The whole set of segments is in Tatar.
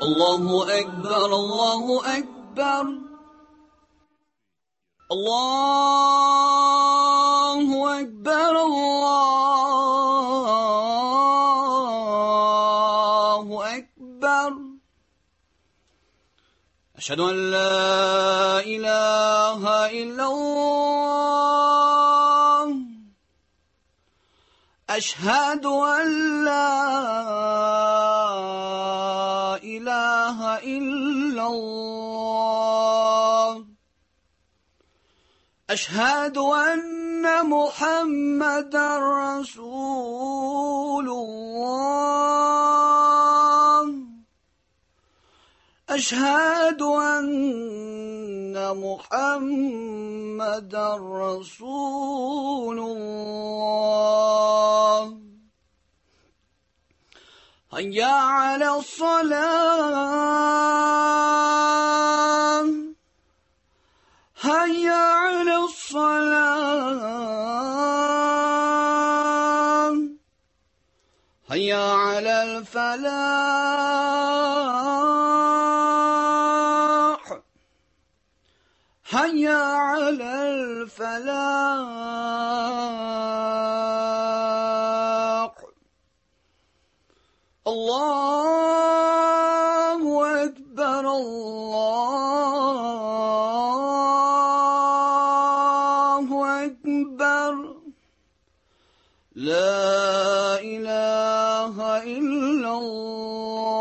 الله أكبر الله أكبر الله أكبر الله أكبر أشهد أن لا إله إلا الله أشهد أن لا إله إلا الله أشهد أن محمدا رسول الله أشهد أن محمدا رسول الله هيا على الصلاة هيا على الصلاة هيا على الفلاح هيا على الفلاح الله أكبر الله أكبر لا إله إلا الله.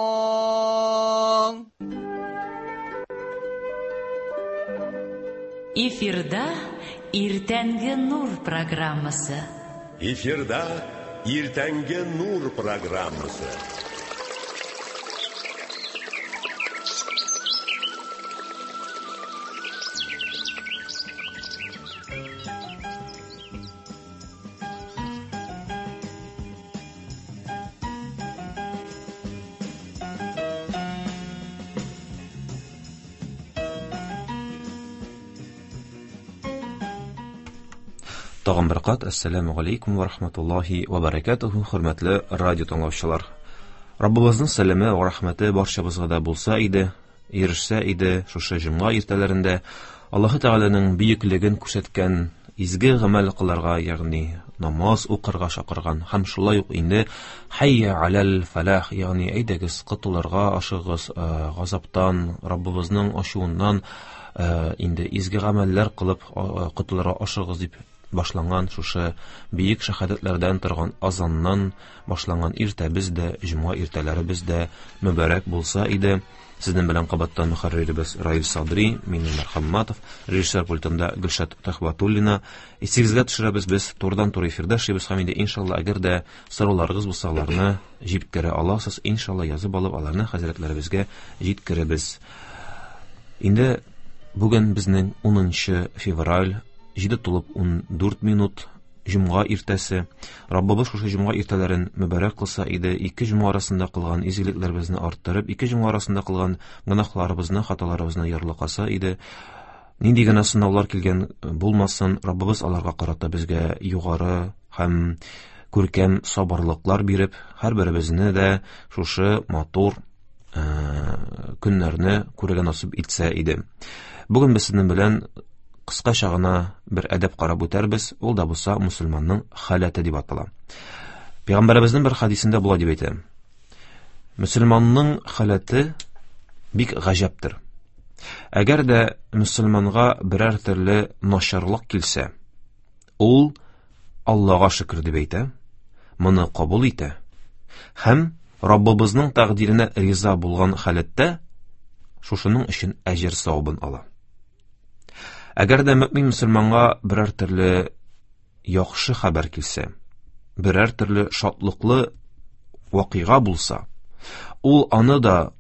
Эфирда Иртәнге Нур программасы. Эфирда Иртәнге Нур программасы. Тагын бер кат ассаламу алейкум ва рахматуллахи ва баракатуху, хөрмәтле радио тыңлаучылар. Раббыбызның сәламе ва рахмәте барчабызга да булса иде, ирешсә иде шушы җомга иртәләрендә Аллаһы Тәгаләнең бөеклеген күрсәткән изге гамәл кылырга, ягъни намаз укырга чакырган һәм шулай ук инде хәйя алал фалах, ягъни әйдәгез котылырга ашыгыз газаптан, Раббыбызның ачуыннан, инде изге гамәлләр кылып котылырга ашыгыз дип башланган шушы бөек шәһадәтләрдән торган азаннан башланган иртәбез дә, җомга иртәләребез дә мөбарәк булса иде. Сезнең белән кабаттан мөхәрриребез Раил Садри, мин Илнар Хамматов, режиссер пультында Гөлшат Төхвәтуллина. Исегезгә төшерәбез, без турыдан-туры эфирда эшлибез һәм инде иншалла, әгәр дә сорауларыгыз булса, аларны җиткерә аласыз, иншалла язып алып, аларны хәзрәтләребезгә җиткерәбез. Инде бүген безнең 10 февраль, 7 тулып 14 минут, җомга иртәсе. Раббыбыз шушы җомга иртәләрен мөбарәк кылса иде, ике җомга арасында кылган изгелекләребезне арттырып, ике җомга арасында кылган гөнаһларыбызны, хаталарыбызны ярлыкаса иде. Нинди генә сынаулар килгән булмасын, Раббыбыз аларга карата безгә югары һәм күркәм сабырлыклар биреп, һәрберебезне дә шушы матур көннәрне күрергә насыйп итсә иде. Бүген без сезнең белән кыскача гына бер әдәп карап үтәрбез, ул да булса мусульманның халәте дип атала. Пәйгамбәребезнең бер хадисендә болай дип әйтә: мөселманның халәте бик гаҗәптер. Әгәр дә мөселманга берәр төрле начарлык килсә, ул Аллага шөкер дип әйтә, моны кабул итә һәм Раббыбызның тәкъдиренә риза булган халәттә шушының өчен әҗер савабын ала. Әгәр дә мөмин мөселманга берәр төрле яхшы хәбәр килсә, берәр төрле шатлыклы вакыйга булса, ул аны да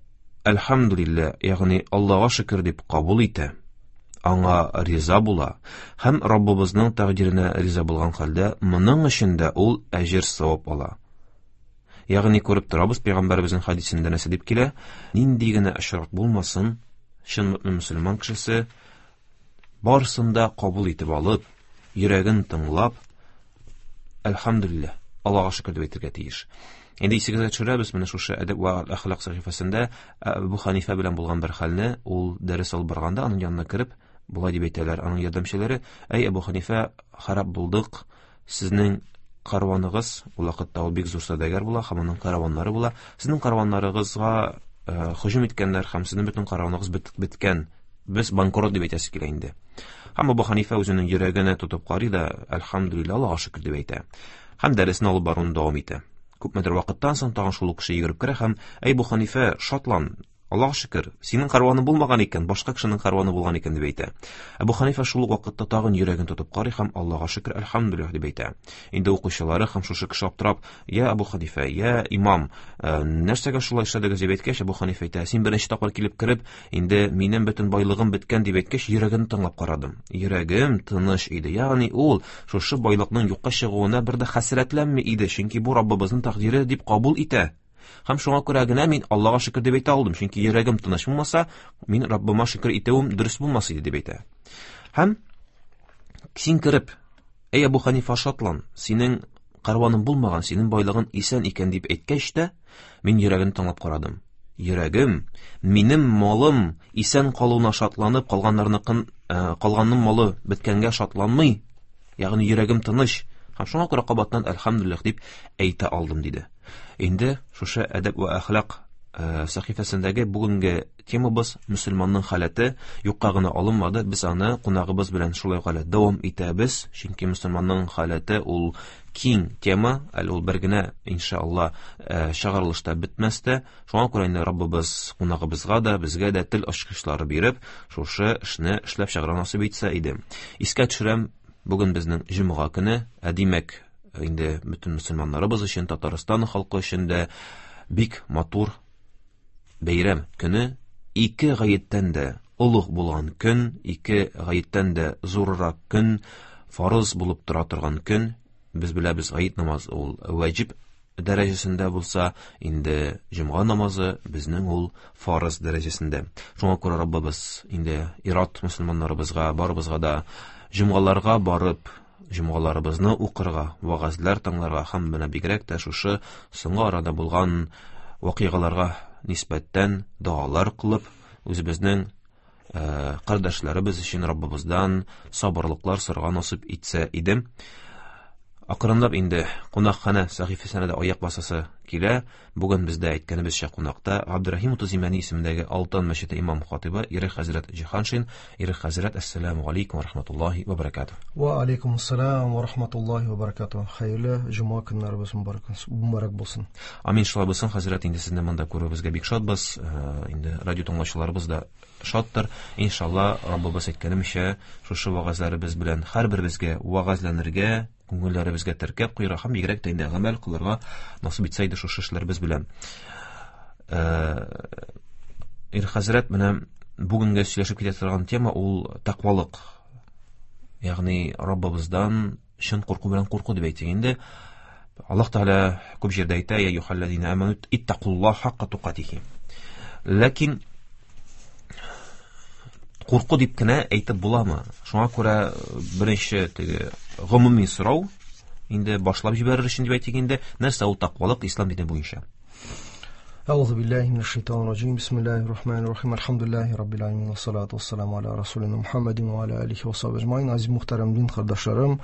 әлхәмдүлилләһ, ягъни Аллага шөкер дип кабул итә, аңа риза була һәм Раббыбызның тәкъдиренә риза булган хәлдә моның өчен дә ул әҗер савап ала. Ягъни күреп торабыз, пәйгамбәребезнең хадисендә нәрсә дип килә? Нинди генә очрак булмасын, чын мөмин мөселман кешесе барысын да кабул итеп алып, йөрәген тыңлап, әлхәмдүлилләһ, Аллага шөкер дип әйтергә тиеш. Инде исегезгә төшерәбез, менә шушы әдәп вә әхлак сәхифәсендә Әбу Ханифә белән булган бер хәлне, ул дәрес алып барганда аның янына кереп, болай дип әйтәләр аның ярдәмчеләре: "Әй Әбу Ханифә, харап булдык, сезнең караваныгыз, ул вакытта ул бик зур сәүдәгәр була һәм аның караваннары була, сезнең караваннарыгызга һөҗүм иткәннәр һәм сезнең бөтен караваныгыз беткән, без банкрот дип әйтәсе килә инде." Һәм Әбу Ханифә үзенең йөрәгенә тотып карый да, "Әлхәмдүлилләһ, Аллаһка шөкер" дип әйтә. Һәм дәресне алып баруны дәвам итә. Күпмедер вакыттан соң тагын шул ук кеше йөгереп керә һәм: "Әй Әбу Ханифә, шатлан, Аллаһка шөкер, синең караваның булмаган икән, башка кешенең караваны булган икән" дип әйтә. Әбу Ханифә шул ук вакытта тагын йөрәген тотып карый һәм "Аллаһка шөкер, әлхәмдүлилләһ" дип әйтә. Инде укучылары һәм шушы кеше аптырап: "Я Әбу Ханифә, я имам, нәрсәгә шулай эшләдегез?" дип әйткәч, Әбу Ханифә әйтә: "Син беренче тапкыр килеп кереп, инде минем бөтен байлыгым беткән дип әйткәч, йөрәгемне тыңлап карадым. Йөрәгем тыныч иде. Ягъни ул шушы байлыкның юкка чыгуына бер дә хәсрәтләнми иде, чөнки бу Раббыбызның тәкъдире дип кабул итә. Һәм шуңа күрә генә мин Аллаһка шөкер дип әйтә алдым, чөнки йөрәгем тыныч булмаса, мин Раббыма шөкер итүем дөрес булмас иде дип әйтә. Һәм син кереп, "Әй Әбу Ханифа, шатлан, синең караваның булмаган, синең байлыгың исән икән" дип әйткәч тә, мин йөрәген тыңлап карадым. Йөрәгем, минем малым исән калуына шатланып, калганнарныкын, калганның малы беткәнгә шатланмый, ягъни йөрәгем тыныч. Һәм шуңа күрә кабаттан әлхәмдүлилләһ дип әйтә алдым диде. Инде шушы әдәп вә әхлак сәхифәсендәге бүгенге темабыз мөселманның халәте юкка гына алынмады. Без аны кунагыбыз белән шулай ук әле дәвам итәбез, чөнки мөселманның халәте ул киң тема, әле ул бер генә иншалла чыгарылышта бетмәс тә. Шуңа күрә инде Раббыбыз кунагыбызга да, безгә дә тел ачкычлары биреп, шушы эшне эшләп чыгарга насыйп итсә иде. Искә төшерәм, бүген безнең җомга көне, ә димәк, инде бөтен мөселманнарыбыз өчен, Татарстан халкы өчен дә бик матур бәйрәм көне, ике гаеттән дә олуг булган көн, ике гаеттән дә зуррак көн, фарыз булып тора торган көн. Без беләбез, гает намазы ул ваҗиб дәрәҗәсендә булса, инде җомга намазы безнең ул фарыз дәрәҗәсендә. Шуңа күрә Раббыбыз инде ират мөселманнарыбызга, барыбызга да җомгаларга барып, җомгаларыбызны укырга, вәгазьләр тыңларга һәм менә бигрәк тә шушы соңгы арада булган вакыйгаларга нисбәттән догалар кылып, үзебезнең кардәшләребез өчен Раббыбыздан сабырлыклар сорарга насыйп итсә иде. Акрынлап инде кунакханә сәхифәсенә дә аяк басасы килә. Бүген бездә әйткәнебезчә кунакта Габдерәхим Утыз Имәни исемендәге Алтын мәчете имам хатибы Ирек хәзрәт Җиһаншин. Ирек хәзрәт, әссәламү алейкум ва рахматуллаһи ва баракатуһ. Ва алейкум ассалам ва рахматуллаһи ва баракатуһ. Хәерле җомга көннәребез мөбарәк булсын. Амин, шулай булсын, хәзрәт, инде сезне монда күрүебезгә бик шатбыз. Инде радио тыңлаучыларыбыз да шаттыр. Иншалла, Раббыбыз әйткәнемчә, шушы вәгазьләребез белән һәрберебезгә вәгазьләнергә, күңелләребезгә теркәп куярга һәм бигрәк тә инде гамәл кылырга насыйп итсә иде шушы эшләребез белән. Ир хәзрәт, менә бүгенгә сөйләшеп китә торган тема ул тәкъвалык. Ягъни Раббыбыздан чын курку белән курку дип әйтик инде. Аллаһ Тәгалә күп җирдә әйтә: "Я юхаллазина аману иттакуллаһ хакка тукатихи". Ләкин курку дип кенә әйтеп буламы? Шуңа күрә беренче теге гомуми сорау инде башлап җибәрер өчен дип әйтик инде, нәрсә ул тәкъвалык ислам дине буенча? Әгъузу биллаһи минәш шайтанир раҗим. Бисмиллаһир рахманир рахим. Әлхәмдүлиллаһи раббил аламин. Вассалату вассаламу аля расулина Мухаммадин ва аля алихи ва сахбихи әҗмаин. Азиз мөхтәрәм дин кардәшләрем,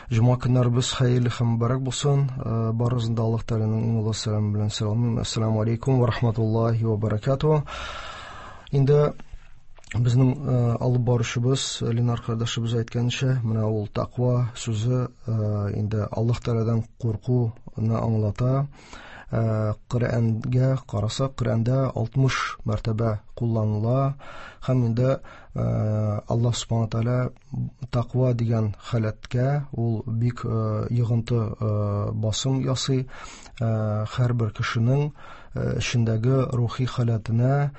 җомга көннәребез хәерле һәм мөбарәк булсын. Барыгызны да Аллаһ Тәгаләнең иң олы сәламе белән сәламлыйм. Әссәламу алейкум ва рахматуллаһи ва баракатуһ. Инде безнең алып баручыбыз Ленар кардәшебез әйткәнчә, менә ул тәкъва сүзе инде Аллаһ Тәгаләдән куркуны аңлата. Коръәнгә карасак, Коръәндә 60 мәртәбә кулланыла һәм инде Аллаһ Субхану Тәгалә тәкъва дигән халәткә ул бик йогынты басым ясый. Һәрбер кешенең эчендәге рухи халәтенә,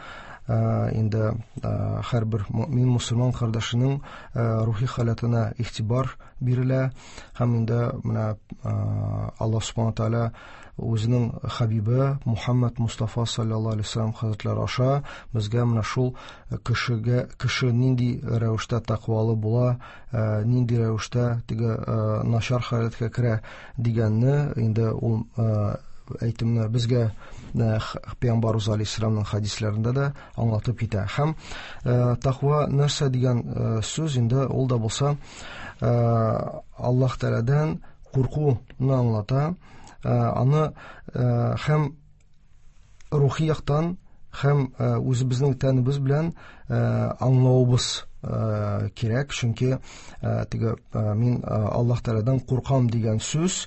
инде һәрбер мөмин мусульман кардәшенең рухи халәтенә игътибар бирелә һәм инде менә Аллаһ Субхану Тәгалә үзенең хабибы Мухаммад Мустафа саллаллаһу алейһи ва саллям хәзрәтләре аша безгә менә шул кешегә, кеше нинди рәвештә тәкъвалы була, нинди рәвештә теге начар халәткә керә дигәнне инде ул әйтемне безгә Пәйгамбәрбез алейһиссәламның хәдисләрендә дә аңлатып китә. Һәм тәкъва нәрсә дигән сүз инде ул да булса Аллаһ Тәгаләдән куркуны аңлата. Аны һәм рухи яктан һәм үзебезнең тәнебез белән аңлавыбыз кирәк, чөнки теге мин Аллаһ Тәгаләдән куркам дигән сүз,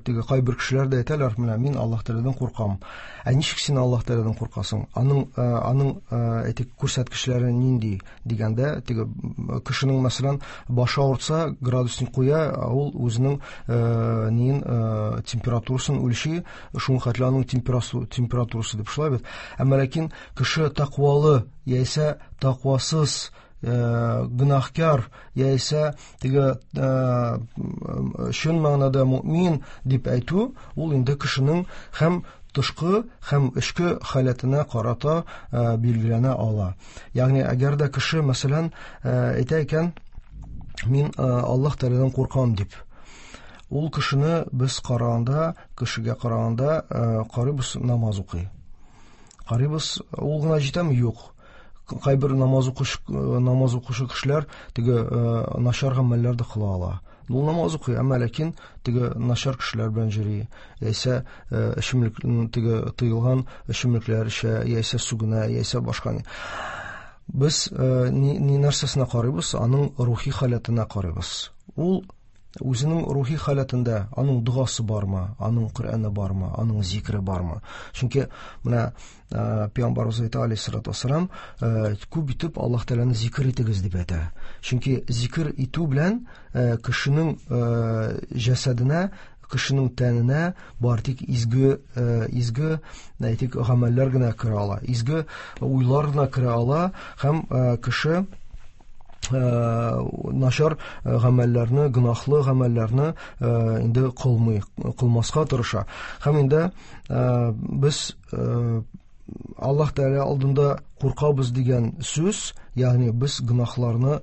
теге кайбер кешеләр дә әйтәләр, менә мин Аллаһ Тәгаләдән куркам. Ә ничек син Аллаһ Тәгаләдән куркасың? Аның әйтик күрсәткечләре нинди дигәндә, теге кешенең мәсәлән башы авыртса, градусник куя, ул үзенең ниен температурасын үлчи, шуңа хәтле аның температурасы дип шулай бит. Әмма ләкин кеше тәкъвалы яисә тәкъвасыз, гөнаһкар яисә теге чын мәгънәдә мөмин дип әйтү, ул инде кешенең һәм тышкы һәм эчке халәтенә карата билгеләнә ала. Ягъни әгәр дә кеше мәсәлән әйтә икән, мин Аллаһ Тәгаләдән куркам дип, ул кешене без караганда, кешегә караганда карыйбыз, намаз укый. Карыйбыз, ул гына җитәме? Юк. Кайбер намаз укучы кешеләр теге начар гамәлләр дә кыла ала. Ул намаз укый, әмма ләкин теге начар кешеләр белән йөри, яисә эчемлек, теге тыелган эчемлекләр эчә, яисә сүгенә, яисә башка ни. Без ни нәрсәсенә карыйбыз? Аның рухи халәтенә карыйбыз. Ул үзенең рухи халәтендә, аның догасы бармы, аның Коръәне бармы, аның зикре бармы? Чөнки менә Пәйгамбәрбез әйтә алейһиссалату вассалам, күп итеп Аллаһ Тәгаләне зикр итегез дип әйтә. Чөнки зикр итү белән кешенең җәсәденә, кешенең тәненә бар тик изге, изге, әйтик, гамәлләр генә керә ала, изге уйлар гына керә ала, һәм кеше начар гамәлләрне, гөнаһлы гамәлләрне инде кылмый, кылмаска тырыша. Һәм инде без Аллаһ Тәгалә алдында куркабыз дигән сүз, ягъни без гөнаһларны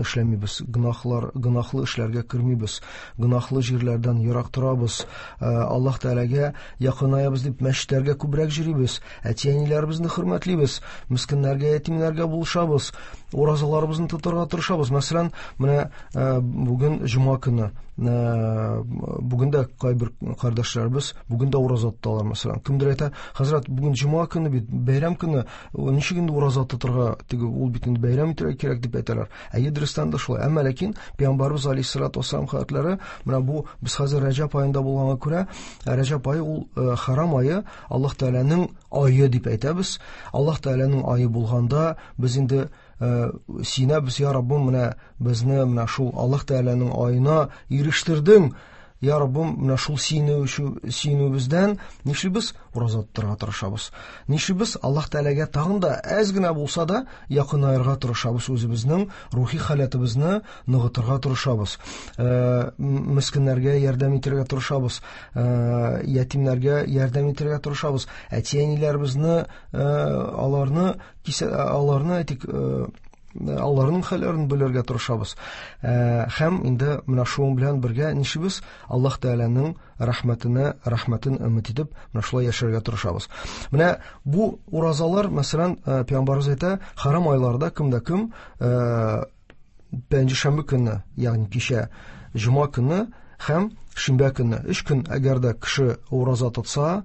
эшләмибез, гөнаһлы эшләргә кермибез, гөнаһлы җирләрдән ерак торабыз, Аллаһ Тәгаләгә якынаябыз дип мәчетләргә күбрәк йөрибез, әти-әниләребезне хөрмәтлибез, мескеннәргә, ятимнәргә булышабыз, уразаларыбызны тотарга тырышабыз. Мәсәлән, менә бүген җомга көне, бүген дә кайбер кардәшләребез бүген дә ураза тоталар, мәсәлән. Кемдер әйтә, хәзрәт, бүген җомга көне бит, бәйрәм көне, ничек инде ураза тотарга, теге ул бит инде бәйрәм итәргә кирәк дип әйтәләр. Әйе, дөрестән дә шулай. Әмма ләкин Пәйгамбәрбез алейһиссалату вассалам хәзрәтләре, менә бу без хәзер Рәҗәб аенда булганга күрә, Рәҗәб ае ул харам ае, Аллаһ Тәгаләнең ае дип әйтәбез. Аллаһ Тәгаләнең ае булганда без инде сөенәбез, я Раббым, менә безне менә шул Аллаһ Тәгаләнең аена ирештердең. Я Раббым, менә шул сөенүебездән нишлибез? Ураза тотарга тырышабыз. Нишлибез? Аллаһ Тәгаләгә тагын да әз генә булса да якынаерга тырышабыз, үзебезнең рухи халәтебезне ныгытырга тырышабыз. Мескеннәргә ярдәм итәргә тырышабыз, ятимнәргә ярдәм итәргә тырышабыз. Әти-әниләребезне, аларны аларны әйтик, аларның хәлләрен белергә тырышабыз. Һәм инде менә шуның белән бергә нишлибез? Аллаһ Тәгаләнең рәхмәтенә, рәхмәтен өмет итеп, менә шулай яшәргә тырышабыз. Менә бу уразалар, мәсәлән, Пәйгамбәребез әйтә, харам айларда кемдә кем пәнҗешәмбе көнне, ягъни кичә җомга көнне һәм шимбә көнне, 3 көн әгәр дә кеше ураза тотса,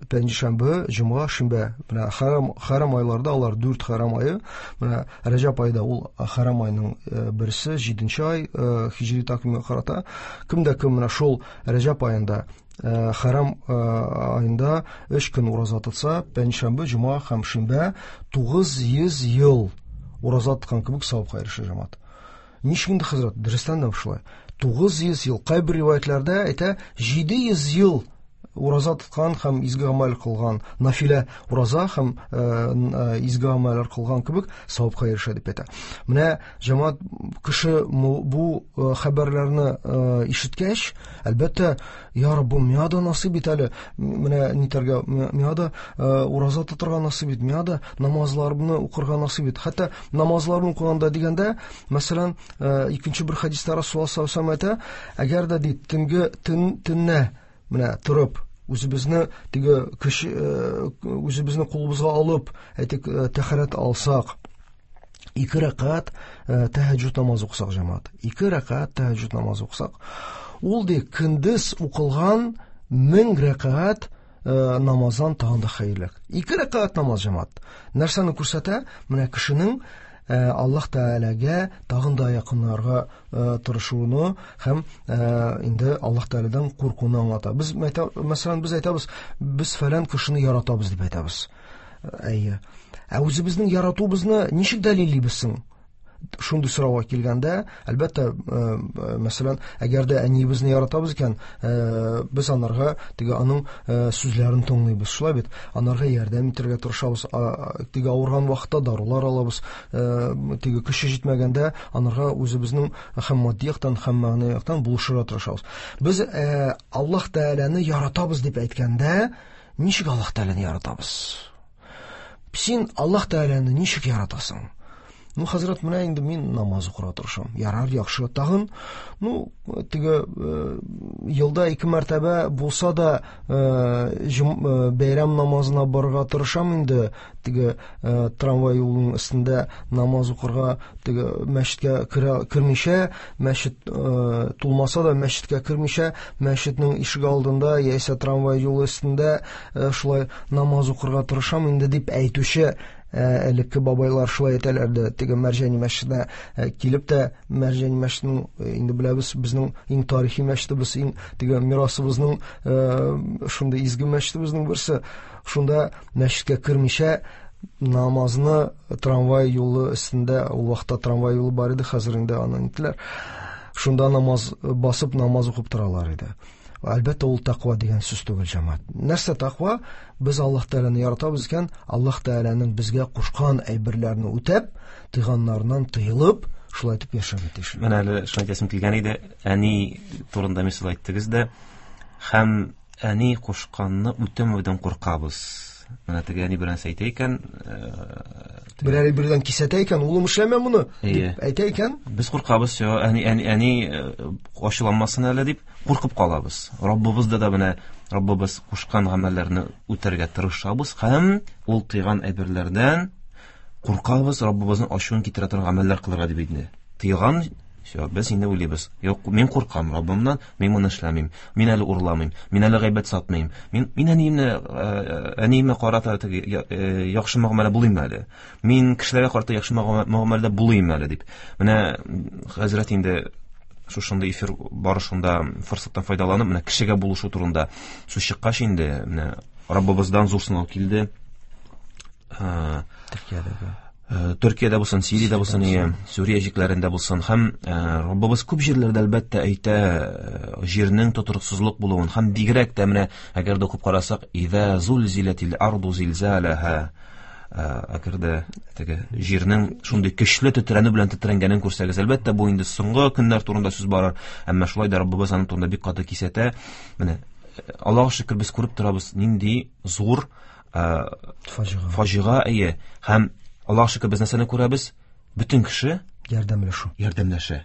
пәнҗешәмбе, җомга, шимбә, менә харам айларда алар 4 харам ае, менә Рәҗәб аенда ул харам айның берсе, 7 ай, һиҗри тәкъвимгә карата, кем дә кем менә шул Рәҗәб аенда, харам аенда 3 көн ураза тотса, пәнҗешәмбе, җомга һәм шимбә 900 ел ураза тоткан кебек савапка ирешә җәмәгать. Ничек инде, хәзрәт? Дөрестән дә шулай. 900 ел, кайбер риваятларда әйтә, 700 ел ураза тоткан һәм изге гамәл кылган, нафилә ураза һәм изге гамәлләр кылган кебек савапка ирешә дип әйтә. Менә җәмәгать, кеше бу хәбәрләрне ишеткәч, әлбәттә, я Раббым, миңа да насыйп ит әле, менә нитәргә, миңа да ураза тотарга насыйп ит, миңа да намазларымны укырга насыйп ит. Хәтта намазларны укыганда дигәндә, мәсәлән, икенче бер хәдистә Расулуллаһ саллаллаһу алейһи ва сәлләм әйтә, әгәр дә ди, төнге төннә менә торып үзебезне теге кеше үзебезне кулыбызга алып, әйтик, тәһарәт алсак, 2 рәкәгать тәһәҗҗүд намазы укысак, җәмәгать. 2 рәкәгать тәһәҗҗүд намазы укысак, ул ди көндез укылган 1000 рәкәгать намаздан тагын да хәерлерәк. 2 рәкәгать намаз, җәмәгать. Нәрсәне күрсәтә? Менә кешенең Аллаһ Тәгаләгә тагын да якынларга тырышуны һәм инде Аллаһ Тәгаләдән куркуны аңлата. Без мәсәлән, без әйтәбез, без фәлән кешене яратабыз дип әйтәбез. Әйе. Ә үзебезнең яратуыбызны ничек дәлиллибез соң? Шундый сорауга килгәндә, әлбәттә, мәсәлән, әгәр дә әниебезне яратабыз икән, без анарга теге аның сүзләрен тыңлыйбыз, шулай бит? Анарга ярдәм итәргә тырышабыз, теге авырган вакытта дарулар алабыз, теге көче җитмәгәндә анарга үзебезнең һәм матди яктан, һәм мәгънәви яктан булышырга тырышабыз. Без Аллаһ Тәгаләне яратабыз дип әйткәндә, ничек Аллаһ Тәгаләне яратабыз? Син Аллаһ Тәгаләне ничек яратасың? Ну, хәзрәт, менә инде мин намаз укырга тырышам. Ярар, яхшы. Тагын, ну, теге елда 2 мәртәбә булса да бәйрәм намазына барырга тырышам инде. Теге трамвай юлының өстендә намаз укырга, теге мәчеткә кермичә, мәчет тулмаса да мәчеткә кермичә, мәчетнең ишеге алдында яисә трамвай юлы өстендә шулай намаз укырга тырышам инде дип әйтүче элекке бабайлар шулай әйтәләр дә, теге Мәрҗани мәчетенә килеп тә, Мәрҗани мәчетенең инде беләбез, безнең иң тарихи мәчетебез, иң теге мирасыбызның шундый изге мәчетебезнең берсе. Шунда мәчеткә кермичә намазны трамвай юлы өстендә, ул вакытта трамвай юлы бар иде, хәзер инде аны нитләр. Шунда намаз басып намаз укып торалар иде. Әлбәттә, ул тәкъва дигән сүз түгел, җәмәгать. Нәрсә тәкъва? Без Аллаһ Тәгаләне яратабыз икән, Аллаһ Тәгаләнең безгә кушкан әйберләрне үтәп, тыйганнарыннан тыелып, шулай итеп яшәргә тиеш. Менә әле шуны әйтәсем килгән иде, әни турында мисал әйттегез дә, һәм әни кушканны үтәмәүдән куркабыз. Менә теге әни берәр нәрсә әйтә икән, берәр бердән кисәтә икән, улым эшләмә моны дип әйтә икән. Без куркабыз, всё, әни, әни, әни ачуланмасын әле дип куркып калабыз. Раббыбызда да менә Раббыбыз кушкан гамәлләрне үтәргә тырышабыз һәм ул тыйган әйберләрдән куркабыз, Раббыбызның ачуын китерә торган гамәлләр кылырга дип инде. Тыйган, всё, без инде уйлыйбыз. Юк, мин куркам Раббымнан, мин моны эшләмим. Мин әле урламыйм, мин әле гайбәт сатмыйм. Мин әниемә карата теге яхшы мөгамәлә булыйм әле. Мин кешеләргә карата яхшы мөгамәләдә булыйм әле дип. Менә хәзрәт инде шушындый эфир барышында форсаттан файдаланып, менә кешегә булышу турында сүз чыккач инде, менә Раббыбыздан зур сынау килде. Төркиядә. Төркиядә булсын, Сириядә булсын, Сүрия җирләрендә булсын. Һәм Раббыбыз күп җирләрдә әлбәттә әйтә җирнең тотрыксызлык булуын һәм бигрәк тә менә әгәр дә укып карасак, иза зулзилатил арду зилзалаха, әгәр дә теге җирнең шундый көчле тетрәнү белән тетрәнгәнен күрсәгез, әлбәттә бу инде соңгы көннәр турында сүз барыр, әмма шулай да Раббыбыз аның турында бик каты кисәтә. Менә Аллаһуга шөкер, без күреп торабыз нинди зур фаҗига, әйе. Һәм Аллаһуга шөкер, без нәрсәне күрәбез? Бөтен кеше ярдәмләшү. Ярдәмләшә.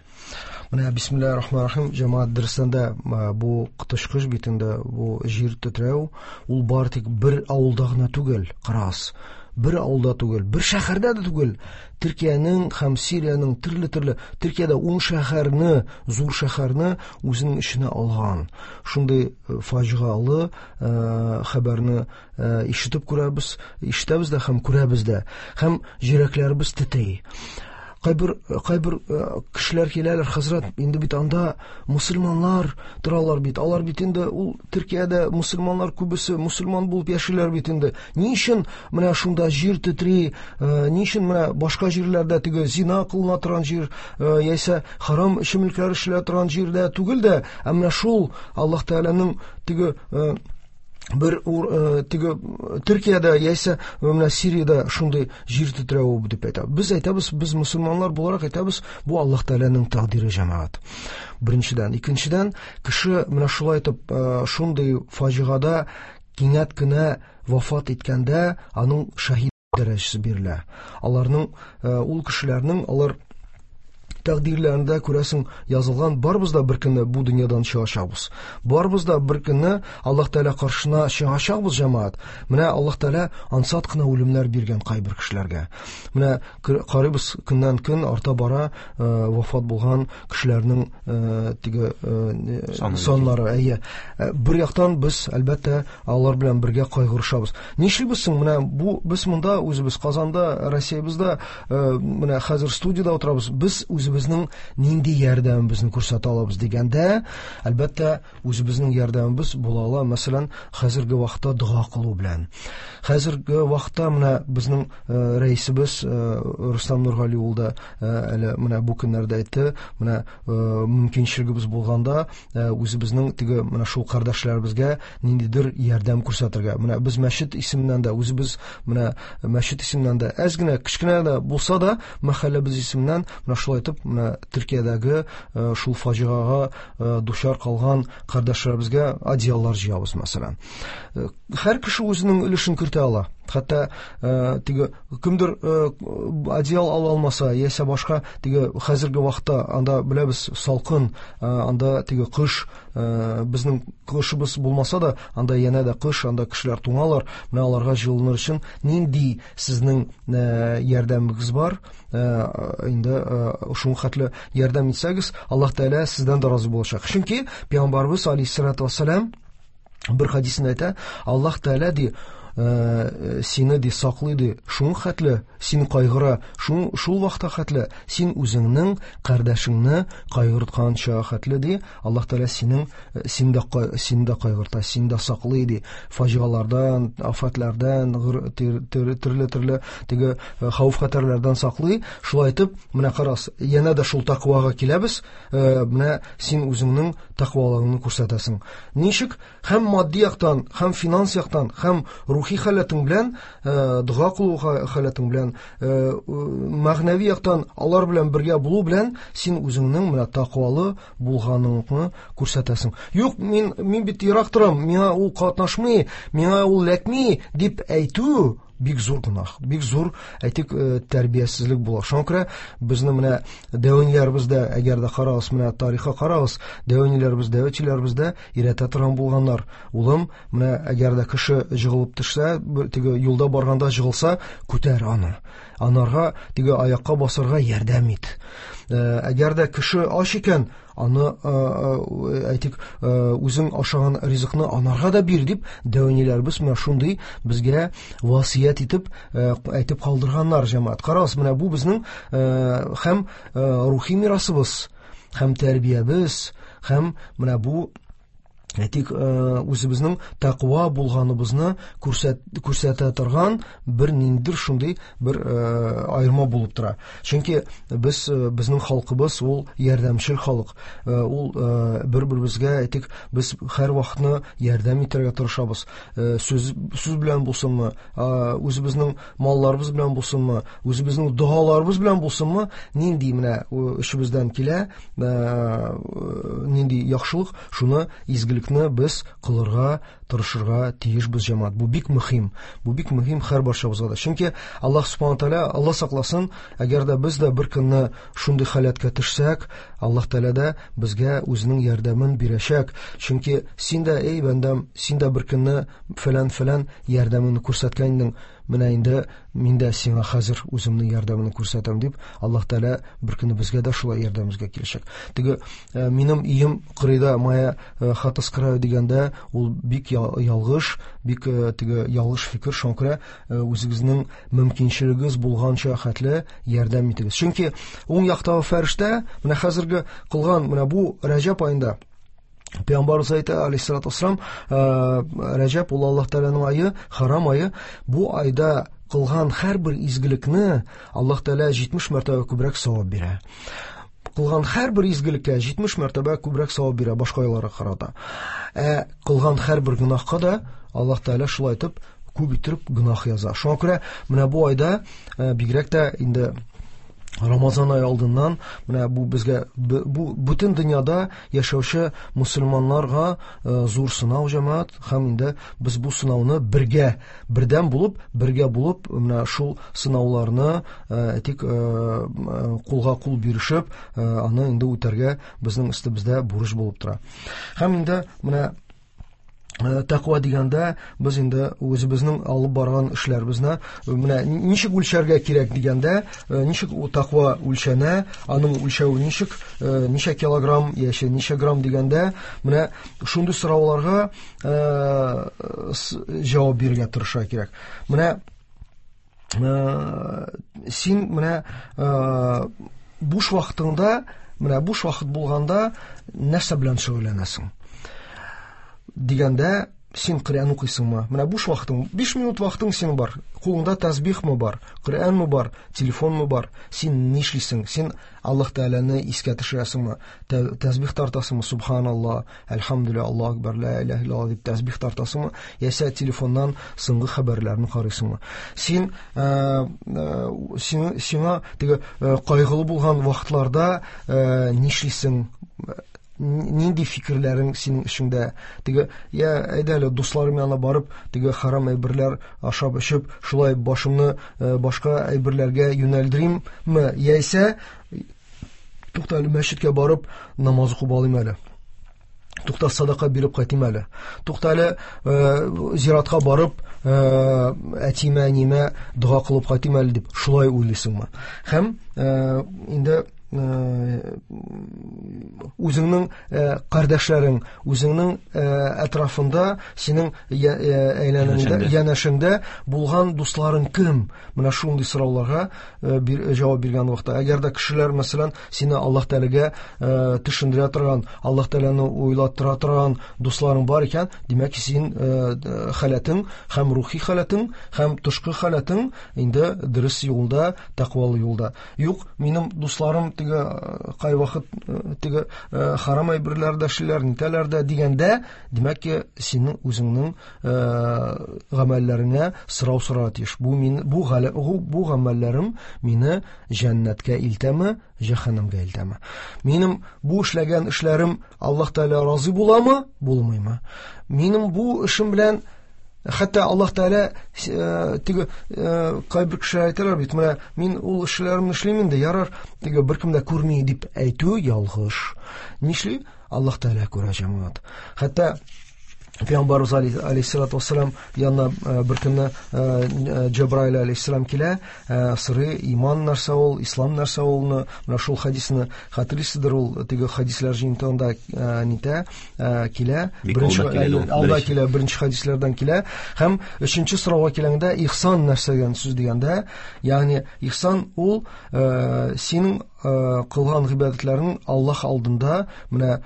Менә бисмиллаһир-рахманир-рахим, җәмәгать, дөрестән дә бу коточкыч бит инде, бу җир тетрәү, ул бар тик бер авылда гына түгел, карагыз. Бер авылда түгел, бер шәһәрдә дә түгел. Төркиянең һәм Сириянең төрле-төрле, Төркиядә 10 шәһәрне, зур шәһәрне үзенең эченә алган. Шундый фаҗигалы хәбәрне ишетеп күрәбез, ишетәбез дә һәм күрәбез дә. Һәм йөрәкләребез тетри. Кайбер кешеләр киләләр, хәзрәт, инде бит анда мусульманнар торалар бит. Алар бит инде ул Төркиядә мусульманнар күбесе мусульман булып яшиләр бит инде. Ни өчен менә шунда җир тетри, ни өчен менә башка җирләрдә теге зина кылына торган җир, яисә харам эчемлекләр эчелә торган җирдә түгел дә, ә менә шул Аллаһ Тәгаләнең теге бер теге Төркиядә яисә менә Сириядә шундый җир тетрәве дип әйтә. Без әйтәбез, без мусульманнар буларак әйтәбез, бу Аллаһ Тәгаләнең тәкъдире, җәмәгать. Беренчедән, икенчедән, кеше менә шулай итеп шундый фаҗигада кинәт кенә вафат иткәндә аның шаһид дәрәҗәсе бирелә. Аларның, ул кешеләрнең, алар тәкъдирләрендә күрәсең язылган, барыбыз да бер көнне бу дөньядан чыгачакбыз. Барыбыз да бер көнне Аллаһ Тәгалә каршына чыгачакбыз, җәмәгать. Менә Аллаһ Тәгалә ансат кына үлемнәр биргән кайбер кешеләргә. Менә карыйбыз, көннән көн арта бара вафат булган кешеләрнең теге саннары. Әйе. Бер яктан без әлбәттә алар белән бергә кайгырышабыз. Нишлибез соң? Менә бу без монда үзебез Казанда, Россиябездә менә хәзер студиядә утырабыз. Без үзебезнең нинди ярдәмебезне күрсәтә алабыз дигәндә, әлбәттә, үзебезнең ярдәмебез була ала, мәсәлән, хәзерге вакытта дога кылу белән. Хәзерге вакытта менә безнең рәисебез Рөстәм Нургали ул да әле менә бу көннәрдә әйтте, менә мөмкинчелегебез булганда үзебезнең теге менә шул кардәшләребезгә ниндидер ярдәм күрсәтергә. Менә без мәчет исеменнән дә, үзебез менә мәчет исеменнән дә әз генә, кечкенә дә булса да мәхәлләбез исеменнән менә шулай итеп менә Төркиядәге шул фаҗигага дучар калган кардәшләребезгә одеяллар җыябыз, мәсәлән. Һәр кеше үзенең өлешен кертә ала. Хәтта теге кемдер одеял ала алмаса, яисә башка теге хәзерге вакытта анда беләбез салкын, анда теге кыш, безнең кышыбыз булмаса да, анда янә дә кыш, анда кешеләр туңалар. Менә аларга җылыныр өчен нинди сезнең ярдәмегез бар? Инде шуның хәтле ярдәм итсәгез, Аллаһ Тәгалә сездән дә разый булачак. Чөнки Пәйгамбәрбез алейһиссалату вассалам бер хадисендә әйтә, Аллаһ Тәгалә ди, сине ди саклый ди, шуның хәтле син кайгыра, шул вакытта хәтле син үзеңнең кардәшеңне кайгыртканча хәтле ди, Аллаһ Тәгалә синең син дә кайгырта, син дә саклый ди, фаҗигалардан, афәтләрдән, төрле-төрле теге хәвеф-хәтәрләрдән саклый. Шулай итеп, менә карас, янә дә шул тәкъвага киләбез, менә син үзеңнең тәкъвалыгыңны күрсәтәсең. Ничек? Һәм матди яктан, һәм финанс яктан, һәм рухи халәтең белән, дога кылу халәтең белән, мәгънәви яктан алар белән бергә булу белән син үзеңнең менә тәкъвалы булганыңны күрсәтәсең. Юк, мин бит ерак торам, миңа ул катнашмый, миңа ул ләкми дип әйтү бик зур гөнаһ, бик зур, әйтик, тәрбиясезлек була. Шуңа күрә безнең менә дәвәниләребез дә, әгәр дә карагыз, менә тарихка карагыз, дәвәниләребез, дәвәтчеләребез дә өйрәтә торган булганнар. Улым, менә әгәр дә кеше җыгылып төшсә, теге юлда барганда җыгылса, күтәр аны. Анарга теге аякка басарга ярдәм ит. Әгәр дә кеше ач икән, аны, әйтик, үзең ашаган ризыкны анарга да бир дип дәвәниләребез менә шундый безгә васыять итеп әйтеп калдырганнар, җәмәгать. Карагыз, менә бу безнең һәм рухи мирасыбыз, һәм тәрбиябез, һәм менә бу әйтик, үзебезнең тәкъва булганыбызны күрсәтә торган бер ниндидер шундый бер аерма булып тора. Чөнки без, безнең халкыбыз ул ярдәмчел халык. Ул бер-беребезгә, әйтик, без һәр вакытны ярдәм итәргә тырышабыз. Сүз белән булсынмы, үзебезнең малларыбыз белән булсынмы, үзебезнең догаларыбыз белән булсынмы, нинди менә эшебездән килә, нинди яхшылык, шуны изгелекне без кылырга тырышырга тиешбез, җәмәгать. Бу бик мөһим. Бу бик мөһим һәр барчабызга да. Чөнки Аллаһ субхана тәгалә, Аллаһ сакласын, әгәр дә без дә бер көнне шундый халәткә төшсәк, Аллаһ Тәгалә дә безгә үзенең ярдәмен бирәчәк. Чөнки син дә, эй бәндәм, син дә бер көнне фәлән-фәлән ярдәмеңне күрсәткән идең, менә инде мин дә сиңа хәзер үземнең ярдәмемне күрсәтәм дип, Аллаһ Тәгалә бер көнне безгә дә шулай ярдәмебезгә киләчәк. Теге минем өем кырыйда, моя хата с краю дигәндә, ул бик ялгыш, бик теге ялгыш фикер. Шуңа күрә үзегезнең мөмкинчелегегез булганча хәтле ярдәм итегез. Чөнки уң яктагы фәрештә менә хәзерге кылган менә бу Рәҗәб аенда Пәйгамбәрбез әйтә, алейһиссалату вассалам, Рәҗәб ул Аллаһ Тәгаләнең ае, харам ае. Бу айда кылган һәрбер изгелекне Аллаһ Тәгалә 70 мәртәбә күбрәк савап бирә. Кылган һәрбер изгелеккә 70 мәртәбә күбрәк савап бирә башка айларга карата. Ә кылган һәрбер гөнаһка да Аллаһ Тәгалә шулай итеп күп итеп гөнаһ яза. Шуңа күрә менә бу айда бигрәк тә инде Рамазан ае алдыннан менә бу безгә бу бөтен дөньяда яшәүче мусульманнарга зур сынау, җәмәгать, һәм инде без бу сынауны бергә, бердәм булып, бергә булып, менә шул сынауларны әйтик, кулга кул бирешеп, аны инде үтәргә безнең өстебездә бурыч булып тора. Һәм инде менә тәкъва дигәндә без инде үзебезнең алып барган эшләребезне менә ничек үлчәргә кирәк дигәндә, ничек тәкъва үлчәнә, аның үлчәве ничек, ничә килограмм яисә ничә грамм дигәндә, менә шундый сорауларга җавап бирергә тырышырга кирәк. Менә син менә буш вакытыңда, менә буш вакыт булганда нәрсә белән шөгыльләнәсең? Дигәндә, син Коръән укыйсыңмы? Менә буш вакытың, 5 минут вакытың синең бар. Кулыңда тәсбихме бар, Коръәнме бар, телефонмы бар? Син нишлисең? Син Аллаһ Тәгаләне искә төшерәсеңме? Тәсбих тартасыңмы? Субханаллаһ, әлхәмдүлилләһ, Аллаһу акбар, ла илаһа иллаллаһ дип тәсбих тартасыңмы? Яисә телефоннан соңгы хәбәрләрне карыйсыңмы? Син сиңа теге кайгылы булган вакытларда нишлисең? Нинди фикерләрең синең эчеңдә? Теге, я, әйдә әле дусларым янына барып, теге харам әйберләр ашап эчеп, шулай башымны башка әйберләргә юнәлдеримме? Яисә тукта әле мәчеткә барып намаз укып алыйм әле. Тукта садака биреп кайтыйм әле. Тукта әле зиратка барып, әтиемә, әниемә дога кылып кайтыйм әле дип шулай уйлыйсыңмы? Һәм инде үзеңнең кардәшләрең, үзеңнең әтрафында, синең әйләнәңдә, янәшәңдә булган дусларың кем? Менә шундый сорауларга җавап биргән вакытта, әгәр дә кешеләр, мәсәлән, сине Аллаһ Тәгаләгә төшендерә торган, Аллаһ Тәгаләне уйлаттыра торган дусларың бар икән, димәк, син халәтең һәм рухи халәтең, һәм тышкы халәтең инде дөрес юлда, тәкъвалы юлда. Юк, минем дусларым теге кайвакыт теге харам әйберләр дә эшлиләр, нитәләр дә дигәндә, димәк ки, синең үзеңнең гамәлләреңә сорау сорарга тиеш. Бу мин, бу галә, бу, бу гамәлләрем мине җәннәткә илтәме, җәһәннәмгә илтәме? Минем бу эшләгән эшләрем Аллаһ Тәгалә разый буламы, булмыймы? Минем бу эшем белән хәтта Аллаһ Тәгалә теге кайбер кешеләр әйтәләр бит, менә мин ул эшләремне эшлим инде, ярар, теге беркем дә күрми дип әйтү ялгыш. Нишли? Аллаһ Тәгалә күрә, җәмәгать. Хәтта Пәйгамбәрбез алейһиссалату вассалам янына бер көнне Җәбраил алейһиссалам килә, сорый, иман нәрсә ул, ислам нәрсә улны, менә шул хадисны хәтерлисездер, ул теге хадисләр җыентыгында нитә, килә. Бик алда килә ул, Алда беренче. килә, беренче хадисләрдән килә. Һәм өченче сорауга килгәндә, ихсан нәрсә дигән сүз дигәндә, ягъни ихсан ул синең кылган гыйбадәтләрең Аллаһ алдында менә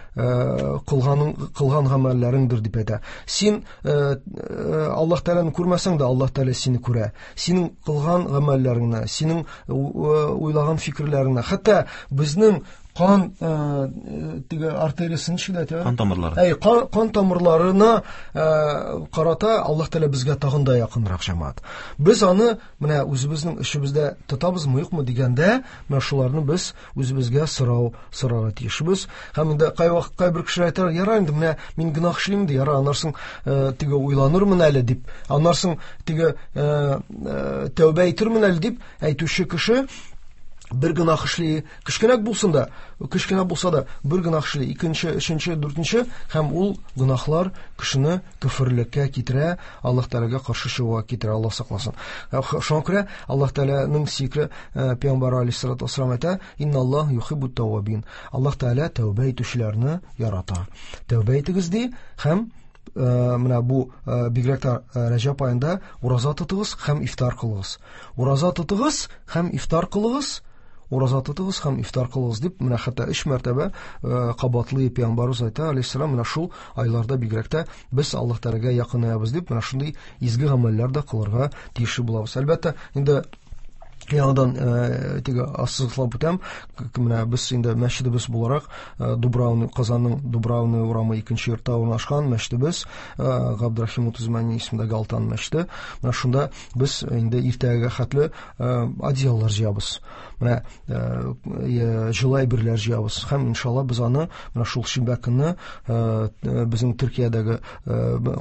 кылган гамәлләреңдер дип әйтә. Син Аллаһ Тәгаләне күрмәсәң дә, Аллаһ Тәгалә сине күрә. Синең кылган гамәлләреңне, синең уйлаган фикерләреңне, хәтта безнең кан теге артериясен ничек дип әйтә? Кан тамырлары. Әй, кан тамырларына карата Аллаһ Тәгалә безгә тагын да якынрак, җәмәгать. Без аны менә үзебезнең эшебездә тотабызмы, юкмы дигәндә, менә шуларны без үзебезгә сорау сорарга тиешбез. Һәм инде кайвакыт кайбер кешеләр әйтәләр, ярар инде, менә мин гөнаһ эшлим инде, ярар, аннан соң теге уйланырмын әле дип, аннан соң теге тәүбә итермен әле дип әйтүче кеше бер гөнаһ эшли, кечкенәк булсын да, кечкенә булса да, бер гөнаһ эшли, икенче, өченче, дүртенче, һәм ул гөнаһлар кешене көферлеккә китерә, Аллаһ Тәгаләгә каршы чыгуга китерә, Аллаһ сакласын. Шуңа күрә Аллаһ Тәгаләнең сөекле пәйгамбәре алейһиссалату вассалам әйтә, Инналлаһ юхиббут тәввабин. Аллаһ Тәгалә тәүбә итүчеләрне ярата. Тәүбә итегез ди, һәм менә бу бигрәк тә Рәҗәб аенда ураза тотыгыз һәм ифтар кылыгыз. Ураза тотыгыз һәм ифтар кылыгыз. Ураза тотыгыз һәм ифтар кылыгыз дип, менә хәтта 3 мәртәбә кабатлый пәйгамбәребез әйтә, алейһиссалам, менә шул айларда бигрәк тә без Аллаһ Тәгаләгә якынаябыз дип, менә шундый изге гамәлләр дә кылырга тиешле булабыз. Әлбәттә, инде Яңадан теге ассызыклап үтәм, менә без инде мәчетебез буларак Дубравный, Казанның Дубравный урамы 2 йортта урнашкан мәчетебез, Габдрахим Утызмани исемендәге Алтан мәчете. Менә шунда без инде иртәгә хәтле одеяллар җыябыз. Менә җылы әйберләр җыябыз һәм иншалла без аны менә шул шимбә көнне безнең Төркиядәге,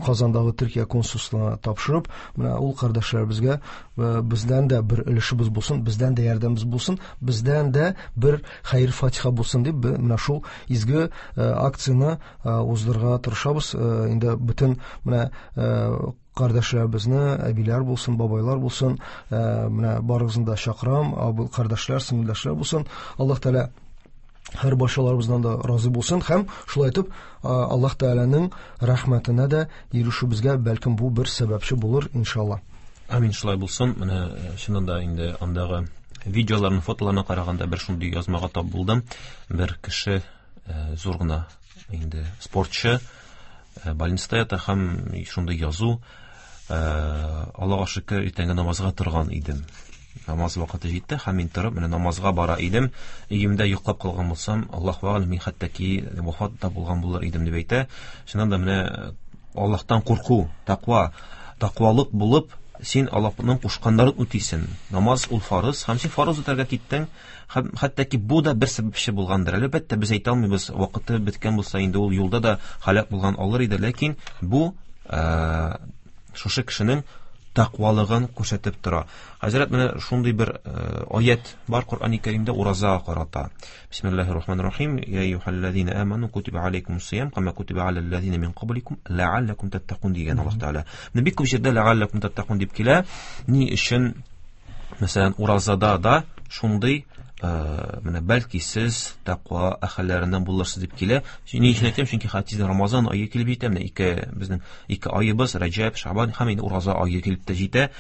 Казандагы Төркия консульствына тапшырып, менә ул кардәшләребезгә бездән дә бер өлешебез булсын, бездән дә ярдәмебез булсын, бездән дә бер хәер фатиха булсын дип, менә шул изге акцияне уздырырга тырышабыз. Инде бөтен менә кардәшләребезне, әбиләр булсын, бабайлар булсын, менә барыгызны да чакырам, абый кардәшләр, сеңелдәшләр булсын. Аллаһ Тәгалә һәр барчаларыбыздан да разый булсын һәм шулай итеп Аллаһ Тәгаләнең рәхмәтенә дә ирешүебезгә бәлкем бу бер сәбәпче булыр, иншалла. Амин, шулай булсын. Менә чыннан да инде андагы видеоларны, фотоларны караганда бер шундый язмага тап булдым. Бер кеше зур гына инде спортчы, больницада ята һәм шундый язу, Аллаһка шөкер, иртәнге намазга торган идем. Намаз вакыты җитте һәм мин торып менә намазга бара идем. Өемдә йоклап калган булсам, Аллаһу әгъләм, мин хәтта ки вафат та булган булыр идем дип әйтә. Чыннан да менә Аллаһтан курку, тәкъва, тәкъвалык булып, син Аллаһның кушканнарын үтисең. Намаз ул фарыз, һәм син фарыз үтәргә киттең. Һәм хәтта ки бу да бер сәбәпче булгандыр. Әлбәттә, без әйтә алмыйбыз, вакыты беткән булса, инде ул юлда да һәлак булган алыр иде, ләкин бу шушы кешенең тәкъвалыгын күрсәтеп тора. Хәзрәт, менә шундый бер аят бар Коръәни Кәримдә уразага карата. Бисмиллаһир рахманир рахим. Я әйюһәлләзина аману кутиба алейкумус сиям кама кутиба алаллазина мин кабликум лааллакум таттакун дигән Аллаһ Тәгалә. Менә бик күп җирдә лааллакум таттакун дип килә. Ни өчен, мәсәлән, уразада да шундый менә бәлки сез тәкъва әһелләреннән булырсыз дип килә. Ни өчен әйтәм? Чөнки хәтта Рамазан ае килеп җитә. Менә безнең ике айыбыз, Рәҗәб, Шабан һәм инде ураза ае килеп тә җитә.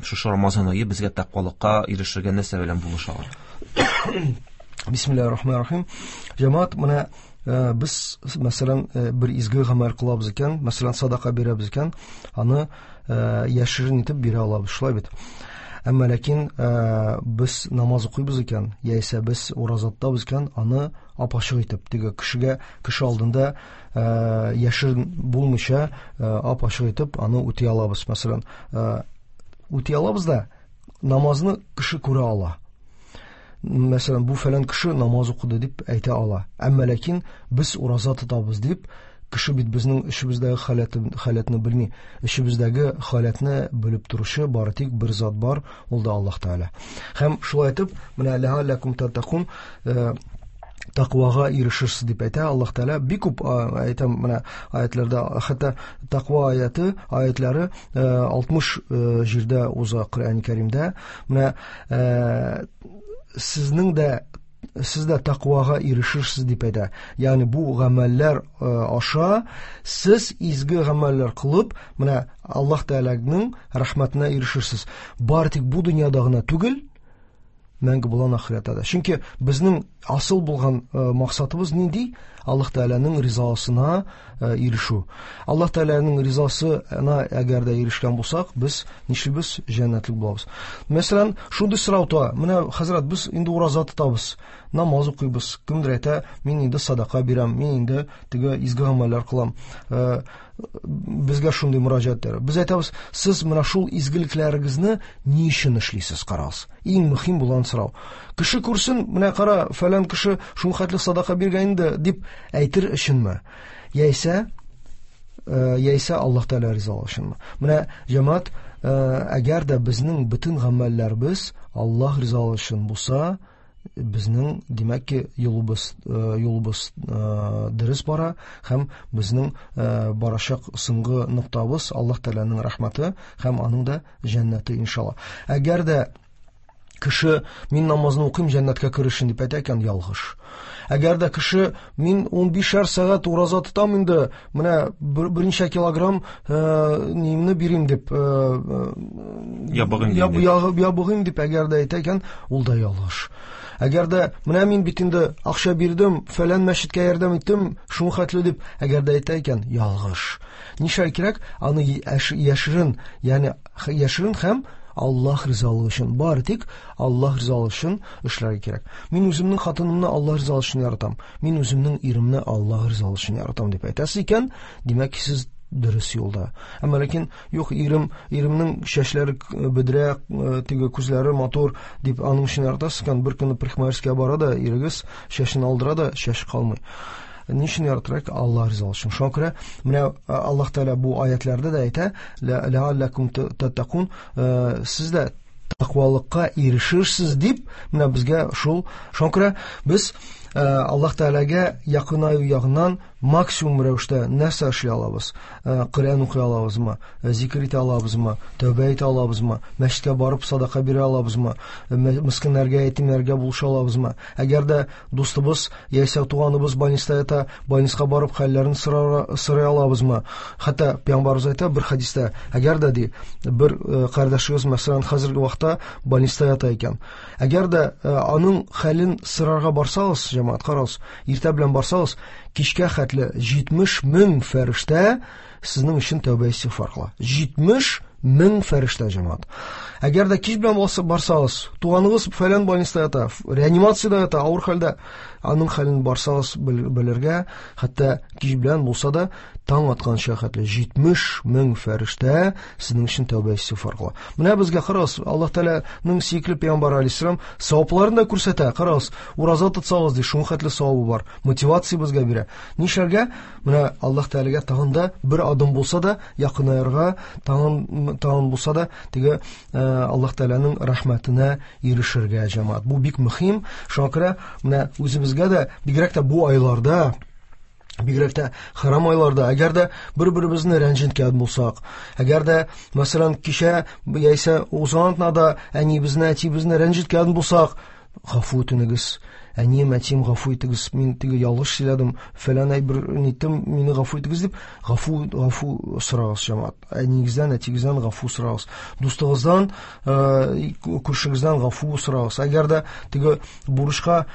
Шушы Рамазан ае безгә тәкъвалыкка ирешергә нәрсә белән булыша ала? Бисмиллаһир рахманир рахим. Җәмәгать, менә без, мәсәлән, бер изге гамәл кылабыз икән, мәсәлән, садака бирәбез икән, аны яшерен итеп бирә алабыз, шулай бит. Әмма ләкин без намаз укыйбыз икән, яисә без ураза тотабыз икән, аны ап-ачык итеп, теге кешегә, кеше алдында яшерен булмыйча, ап-ачык итеп аны үти алабыз. Мәсәлән, үти алабыз да, намазны кеше күрә ала. Мәсәлән, бу фәлән кеше намаз укыды дип әйтә ала. Әмма ләкин без ураза тотабыз дип, кеше бит безнең эчебездәге халәтне белми. Эчебездәге халәтне белеп торучы бары тик бер зат бар, ул да Аллаһ Тәгалә. Һәм шулай итеп, менә ләалләкум таттакун, тәкъвага ирешерсез дип әйтә Аллаһ Тәгалә. Бик күп әйтәм менә аятларда, хәтта тәкъва аятлары 60 җирдә уза Коръән Кәримдә. Менә сезнең дә, сез дә тәкъвага ирешерсез дип әйтә. Ягъни бу гамәлләр аша сез изге гамәлләр кылып, менә Аллаһ Тәгаләнең рәхмәтенә ирешерсез. Бары тик бу дөньяда гына түгел, мәңге булган ахирәттә дә. Чөнки безнең асыл булган максатыбыз нинди? Аллаһ Тәгаләнең ризасына ирешү. Аллаһ Тәгаләнең ризасына әгәр дә ирешкән булсак, без нишлибез? Җәннәтлек булабыз. Мәсәлән, шундый сорау туа. Менә, хәзрәт, без инде ураза тотабыз, намаз укыйбыз. Кемдер әйтә, мин инде садака бирәм, мин инде теге изге гамәлләр кылам. Безгә шундый мөрәҗәгатьләр. Без әйтәбез, сез менә шул изгелекләрегезне ни өчен эшлисез, карагыз. Иң мөһим булган сорау. Кеше күрсен, менә кара, фәлән кеше шул хәтле садака биргән инде дип әйтер өченме? Яисә Аллаһ Тәгалә ризалыгы өченме? Менә җәмәгать, әгәр дә безнең бөтен гамәлләребез Аллаһ ризалыгы өчен булса, безнең, димәк ки, юлыбыз дөрес бара һәм безнең барачак соңгы ноктабыз Аллаһ Тәгаләнең рәхмәте һәм аның да җәннәте, иншалла. Әгәр дә кеше мин намазны укыйм җәннәткә керер өчен дип әйтә икән, ялгыш. Әгәр дә кеше мин унбишәр сәгать ураза тотам инде, менә берничә килограмм нимне бирим дип, Ябыгыйм дип. Ябыгыйм дип әгәр дә әйтә икән, ул да ялгыш. Әгәр дә менә мин бит инде акча бирдем, фәлән мәчеткә ярдәм иттем, шуны хәтле дип әгәр дә әйтә икән, ялгыш. Нишләр кирәк? Аны яшерен, ягъни яшерен һәм Аллаһ ризалыгы өчен, бары тик Аллаһ ризалыгы өчен эшләргә кирәк. Мин үземнең хатынымны Аллаһ ризалыгы өчен яратам, мин үземнең иремне Аллаһ ризалыгы өчен яратам дип әйтәсез икән, димәк, сез дөрес юлда. Әмма ләкин юк, иремнең чәчләре бөдрә, теге күзләре матур дип аның өчен яратасыз икән, бер көнне парикмахерскийга бара да ирегез чәчен алдыра да чәч калмый. Ни өчен яратырга? Аллаһ ризалыгы өчен. Шуңа күрә менә Аллаһ Тәгалә бу аятларда да әйтә, ләалләкум таттакун, сез дә тәкъвалыкка ирешерсез дип, менә безгә шул. Шуңа күрә без Аллаһ Тәгаләгә якынаю ягыннан максимум рәвештә нәрсә эшли алабыз? Коръән укый алабызмы? Зикер итә алабызмы? Тәүбә итә алабызмы? Мәчеткә барып садака бирә алабызмы? Мескеннәргә, ятимнәргә булыша алабызмы? Әгәр дә дустыбыз яисә туганыбыз больниста ята, больниска барып хәлләрен сорый алабызмы? Хәтта пәйгамбәребез әйтә бер хәдистә, әгәр дә ди, бер кардәшегез, мәсәлән, хәзерге вакытта больниста ята икән. Әгәр дә аның хәлен сорарга барсагыз, җәмәгать, карагыз, иртә белән барсагыз, кичкә хәтле 70 мең фәрештә сезнең өчен тәүбә истигъфар кыла. 70 мең фәрештә, җәмәгать. Әгәр дә кич белән барсагыз, туганыгыз фәлән больниста ята, реанимациядә ята, авыр хәлдә, аның хәлен барсагыз белергә, хәтта кич белән булса да, таң атканча хәтле 70 мең фәрештә сезнең өчен тәүбә истигъфар кыла. Менә безгә карагыз, Аллаһ Тәгаләнең сөекле пәйгамбәре алейһиссалам савапларын да күрсәтә. Карагыз, ураза тотсагыз ди, шуның хәтле савабы бар. Мотивация безгә бирә. Нишләргә? Менә Аллаһ Тәгаләгә тагын да бер адым булса да якынаерга, тагын булса да теге Аллаһ Тәгаләнең рәхмәтенә ирешергә, җәмәгать. Бу бик мөһим. Шуңа күрә менә үзебезгә дә, бигрәк тә бу айларда, бигрәк тә харам айларда, әгәр дә бер-беребезне рәнҗеткән булсак, әгәр дә, мәсәлән, кичә яисә узган атнада әниебезне, әтиебезне рәнҗеткән булсак, гафу үтенегез. Әнием, әтием, гафу итегез, мин теге ялгыш сөйләдем, фәлән әйбер ниттем, мине гафу итегез дип, гафу сорагыз, җәмәгать. Әниегездән, әтиегездән гафу сорагыз. Дустыгыздан, күршегездән гафу сорагыз. Әгәр дә теге бурычка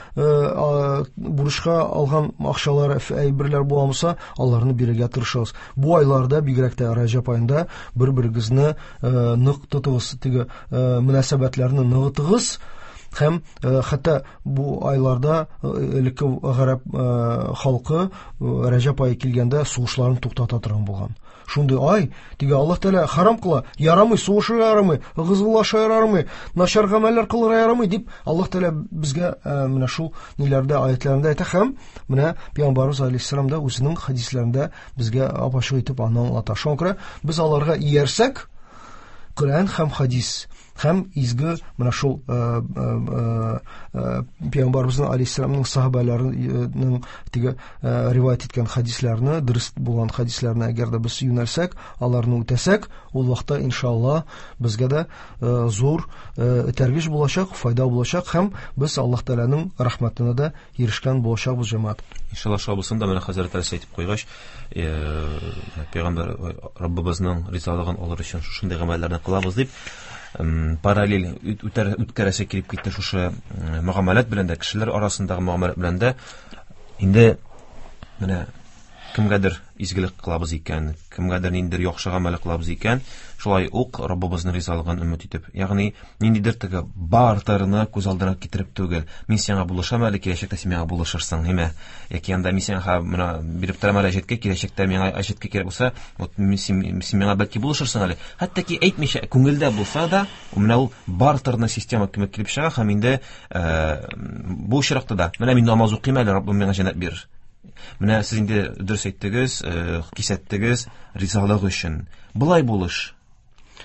алган акчалар, әйберләр була булса, аларны бирергә тырышыгыз. Бу айларда, бигрәк тә Раҗәб аенда, бер-берегезне нык тотыгыз, теге мөнәсәбәтләрне ныгытыгыз. Һәм хәтта бу айларда элекке гарәп халкы Раҗәб ае килгәндә сугышларын туктата торган булган. Шундый ай, теге Аллаһ Тәгалә харам кыла, ярамый, сугышырга ярамый, гызгылашырга ярамый, начар гамәлләр кылырга ярамый дип Аллаһ Тәгалә безгә менә шул ниләрдә, аятларында әйтә һәм менә Пәйгамбәребез алейһиссалам да үзенең хәдисләрендә безгә ап-ачык итеп аны аңлата. Шуңа күрә без аларга иярсәк, Коръән һәм хәдис һәм изге менә шул Пәйгамбәребезнең алейһиссаламның сахабаларының теге риваять иткән хәдисләрне, дөрес булган хәдисләрне әгәр дә без юнәлсәк, аларны үтәсәк, ул вакытта иншалла безгә дә зур этәргеч булачак, файда булачак һәм без Аллаһ Тәгаләнең рәхмәтенә дә ирешкән булачакбыз, җәмәгать. Иншалла шул булсын да, менә хәзрәт Әлсә әйтеп куйгач, Пәйгамбәр Раббыбызның ризалыгын алыр өчен шушындый гамәлләрне кылабыз дип, параллель үткәрәсе килеп китте шушы мөгамәләт белән дә, кешеләр арасындагы мөгамәләт белән дә. Инде менә кемгәдер изгелек кылабыз икән, кемгәдер ниндидер яхшы гамәл кылабыз икән, шулай ук Раббыбызның ризалыгын өмет итеп, ягъни ниндидер теге бартерны күз алдына китереп түгел, мин сиңа булышам әле, киләчәктә син миңа булышырсың, әйме? Яки анда мин сиңа менә биреп торам әле әҗәткә, киләчәктә миңа әҗәткә кирәк булса, вот мин син миңа бәлки булышырсың әле. Хәтта ки әйтмичә, күңелдә булса да, менә ул бартерны система кебек килеп чыга һәм инде бу очракта да менә мин намаз укыйм әле, Раббым миңа җәннәт бирер. Менә сез инде дөрес әйттегез, кисәттегез ризалык өчен. Болай булыш.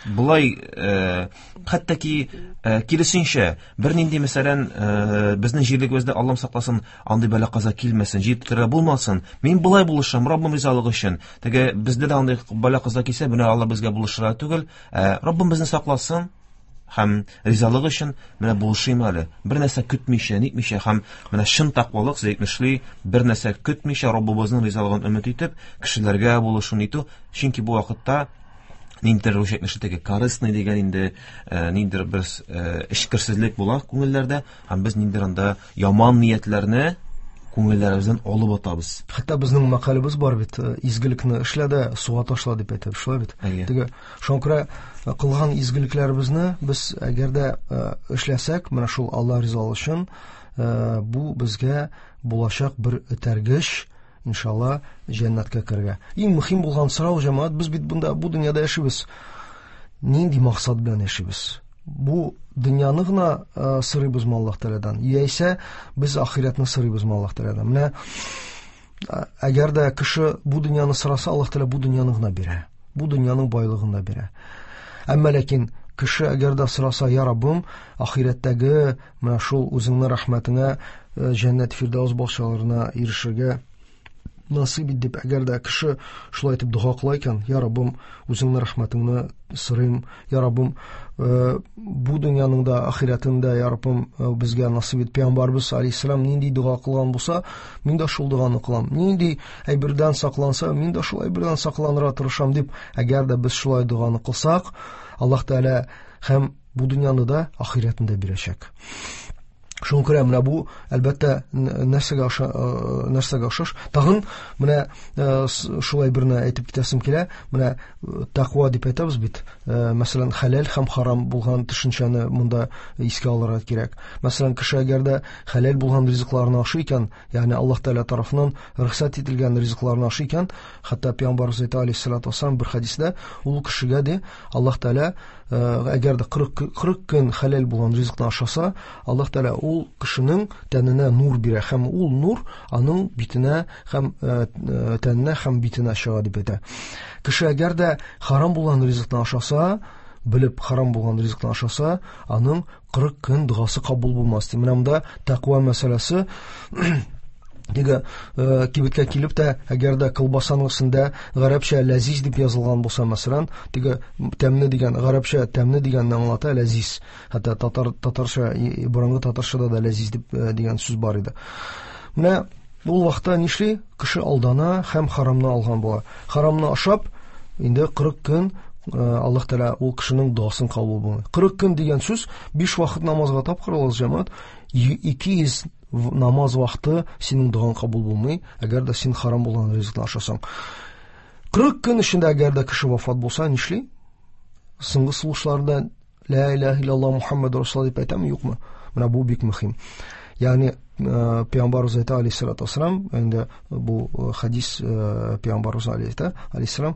Болай хәтта ки киресенчә, бернинди, мәсәлән, безнең җирлегебездә Аллам сакласын, андый бәла-каза килмәсен, җир тетрәү булмасын. Мин болай булышам, Раббым ризалыгы өчен. Теге бездә дә андый бәла-каза килсә, менә Алла безгә булышырга түгел, Раббым безне сакласын һәм ризалыгы өчен менә булышыйм әле. Бер нәрсә көтмичә, нитмичә һәм менә чын тәкъвалык, сез әйтмешли, бер нәрсә көтмичә Раббыбызның ризалыгын өмет итеп, кешеләргә булышу нитү, чөнки бу вакытта ниндидер рус әйтмешли теге корыстный дигән инде ниндидер бер эчкерсезлек була күңелләрдә һәм без ниндидер анда яман ниятләрне Күңелләребездән алып атабыз. Хәтта безнең мәкалебез бар бит, изгелекне эшлә дә суга ташла дип әйтәбез, шулай бит? Теге, шуңа күрә кылган изгелекләребезне без әгәр дә эшләсәк, менә шул Алла ризалыгы өчен, бу безгә булачак бер этәргеч, иншалла, җәннәткә керергә. Иң мөһим булган сорау, җәмәгать, без бит бунда бу дөньяда яшибез. Нинди максат белән яшибез? Бу дөньяны гына сорыйбызмы Аллаһ Тәгаләдән, яисә без ахирәтне сорыйбызмы Аллаһ Тәгаләдән? Менә әгәр дә кеше бу дөньяны сораса, Аллаһ Тәгалә бу дөньяны гына бирә. Бу дөньяның байлыгын да бирә. Әмма ләкин кеше әгәр дә сораса, я Раббым, ахирәттәге менә шул үзеңнең рәхмәтеңә, җәннәт фирдәүс бакчаларына ирешергә насыйп ит дип, әгәр дә кеше шулай итеп дога кыла икән, я Раббым, үзеңнең рәхмәтеңне сорыйм, я Раббым, бу дөньяның да, ахирәтен дә, я Раббым, безгә насыйп ит. Пәйгамбәрбез алейһиссәлам нинди дога кылган булса, мин дә шул доганы кылам. Нинди әйбердән сакланса, мин дә шул әйбердән сакланырга тырышам дип, әгәр дә без шулай доганы кылсак, Аллаһ Тәгалә һәм бу дөньяны да, ахирәтен дә бирәчәк. Шуңа күрә менә бу, әлбәттә, нәрсәгә охша, нәрсәгә охшаш. Тагын менә шулай берне әйтеп китәсем килә. Менә тәкъва дип әйтәбез бит. Мәсәлән, хәләл һәм харам булган төшенчәне монда искә алырга кирәк. Мәсәлән, кеше әгәр дә хәләл булган ризыкларны ашый икән, ягъни Аллаһ Тәгалә тарафыннан рөхсәт ителгән ризыкларны ашый икән, хәтта Пәйгамбәребез әйтә алейһиссалату вассалам бер хәдистә, ул кешегә ди, Аллаһ Тәгалә әгәр дә 40 көн хәләл булган ризыкны ашаса, Аллаһ Тәгалә ул кешенең тәненә нур бирә һәм ул нур аның битенә һәм тәненә һәм битенә чыга дип әйтә. Кеше әгәр дә харам булган ризыкны ашаса, белеп харам булган ризыкны ашаса, аның 40 көн догасы кабул булмас ди. Менә монда тәкъва мәсьәләсе. Теге кибеткә килеп тә, әгәр дә колбасаның өстендә гарәпчә ләзиз дип язылган булса, мәсәлән, теге тәмле дигән, гарәпчә тәмле дигәнне аңлата ләзиз. Хәтта татар, татарча, борынгы татарчада да ләзиз дип дигән сүз бар иде. Менә ул вакытта нишли? Кеше алдана һәм харамны алган була. Харамны ашап, инде 40 көн Аллаһ Тәгалә ул кешенең догасын кабул булмый. 40 көн дигән сүз 5 вакыт намазга тапкыр алабыз, җәмәгать, 200 намаз вакыты синең догаң кабул булмый, әгәр дә син харам булган ризыкны ашасаң. 40 көн эчендә әгәр дә кеше вафат булса, нишли? Соңгы сулышларда ла илаһа иллаллаһ Мухаммад Расулуллаһ дип әйтәме, юкмы? Менә бу бик мөһим. Ягъни Пәйгамбәребез әйтә алейһиссалату вассалам, инде бу хадис Пәйгамбәребез әйтә алейһиссалам,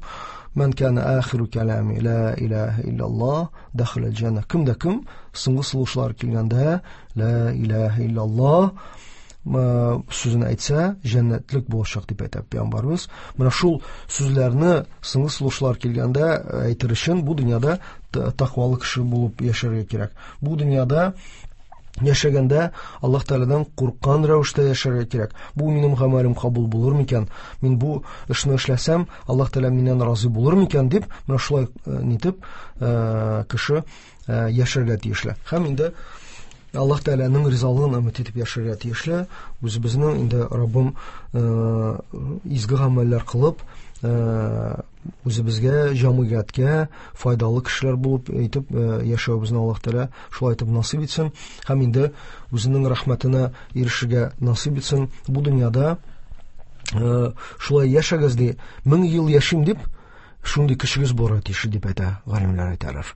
Ман кана ахиру калами ла илаһа иллаллаһ дахала аль-джанна. Кем дә кем соңгы сулышлар килгәндә ла илаһа иллаллаһ сүзен әйтсә, җәннәтлек булачак дип әйтә Пәйгамбәребез. Менә шул сүзләрне соңгы сулышлар килгәндә әйтер өчен бу дөньяда тәкъвалы кеше булып яшәргә кирәк. Бу дөньяда яшәгәндә Аллаһ Тәгаләдән курыккан рәвештә яшәргә кирәк. Бу минем гамәлем кабул булыр микән? Мин бу эшне эшләсәм, Аллаһ Тәгалә миннән разый булыр микән дип, менә шулай нитеп кеше яшәргә тиешле. Һәм инде Аллаһ Тәгаләнең ризалыгын өмет итеп яшәргә тиешле. Үзебезнең инде Раббым изге гамәлләр кылып, үзебезгә, җәмгыятькә файдалы кешеләр булып әйтеп яшәвебезне Аллаһ Тәгалә шулай итеп насыйп итсен һәм инде үзенең рәхмәтенә ирешергә насыйп итсен. Бу дөньяда шулай яшәгез ди, 1000 ел яшим дип, шундый кешегез булырга тиеш дип әйтә, галимнәр әйтәләр.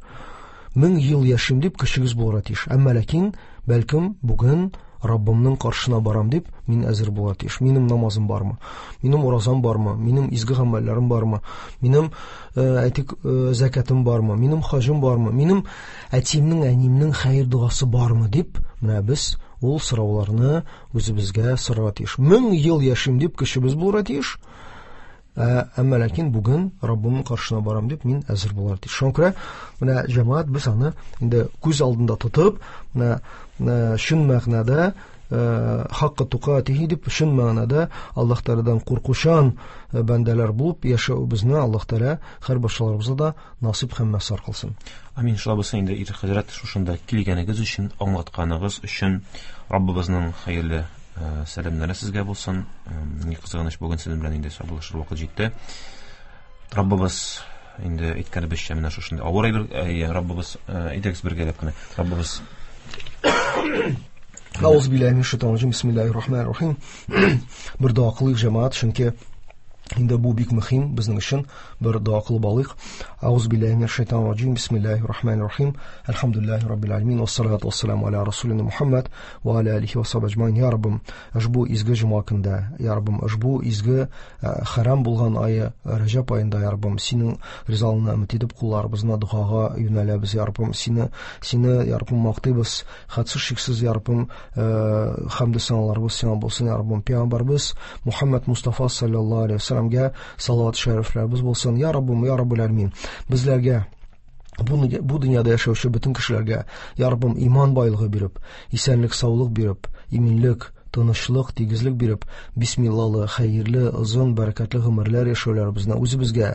1000 ел яшим дип кешегез булырга тиеш. Әмма ләкин бәлкем бүген Раббымның каршына барам дип мин әзер булырга тиеш. Минем намазым бармы? Минем уразам бармы? Минем изге гамәлләрем бармы? Минем, әйтик, зәкәтем бармы? Минем хаҗым бармы? Минем әтиемнең, әниемнең хәер догасы бармы дип, менә без ул сорауларны үзебезгә сорарга тиеш. 1000 ел яшим дип кешебез булырга тиеш. Әмма ләкин бүген Раббымның каршына барам дип мин әзер булырга тиеш. Шуңа күрә менә җәмәгать без аны инде күз алдында тотып, менә чын мәгънәдә хакка тукатихи дип чын мәгънәдә Аллаһ Тәгаләдән куркучан бәндәләр булып яшәвебезне Аллаһ Тәгалә һәр барчаларыбызга да насыйп һәм мәсар кылсын. Амин. Шулай булсын инде, Ирек хәзрәт, шушында килгәнегез өчен, аңлатканыгыз өчен Раббыбызның хәерле сәламнәре сезгә булсын. Ни кызганыч, бүген сезнең белән инде саубуллашыр вакыт җитте. Раббыбыз инде әйткәнебезчә менә шушындый авыр әйбер, Раббыбыз, әйдәгез бергәләп кенә. Раббыбыз Ауз билләһи минәш шайтанир раҗим. Бисмиллаһир рахманир рахим. Бер дога кылыйк, җәмәгать, чөнки инде бу бик мөһим безнең өчен. Бер дога кылып алыйк. Ауз билләһи минәш шайтанир раҗим. Бисмиллаһир рахманир рахим. Әлхәмдүлиллаһи раббил аламин. Вассалату вассаламу аля расулина Мухаммад ва аля алихи ва сахбихи аҗмаин. Я Раббым, ошбу изге җомга көндә, я Раббым, ошбу изге хәрам булган ае Раҗаб аенда, я Раббым, синең ризалыгыңны өмет итеп кулларыбызны догага юнәләбез, я Раббым, сине, я Раббым, мактыйбыз. Хәтсез шиксез, я Раббым, хәмде саналарыбыз сиңа булсын, я Раббым. Пәйгамбәрбез Мухаммад Мустафа саллаллаһу алейһи ва сәлламгә салават шәрифләребез булсын. Я Раббым, я Раббул Аләмин. Безләргә бу дөньяда яшәүче бөтен кешеләргә, я Раббым, иман байлыгы биреп, исәнлек, саулык биреп, иминлек, тынычлык, тигезлек биреп, бисмиллалы, хәерле, озын, бәрәкәтле гомерләр яшәүләребезне үзебезгә,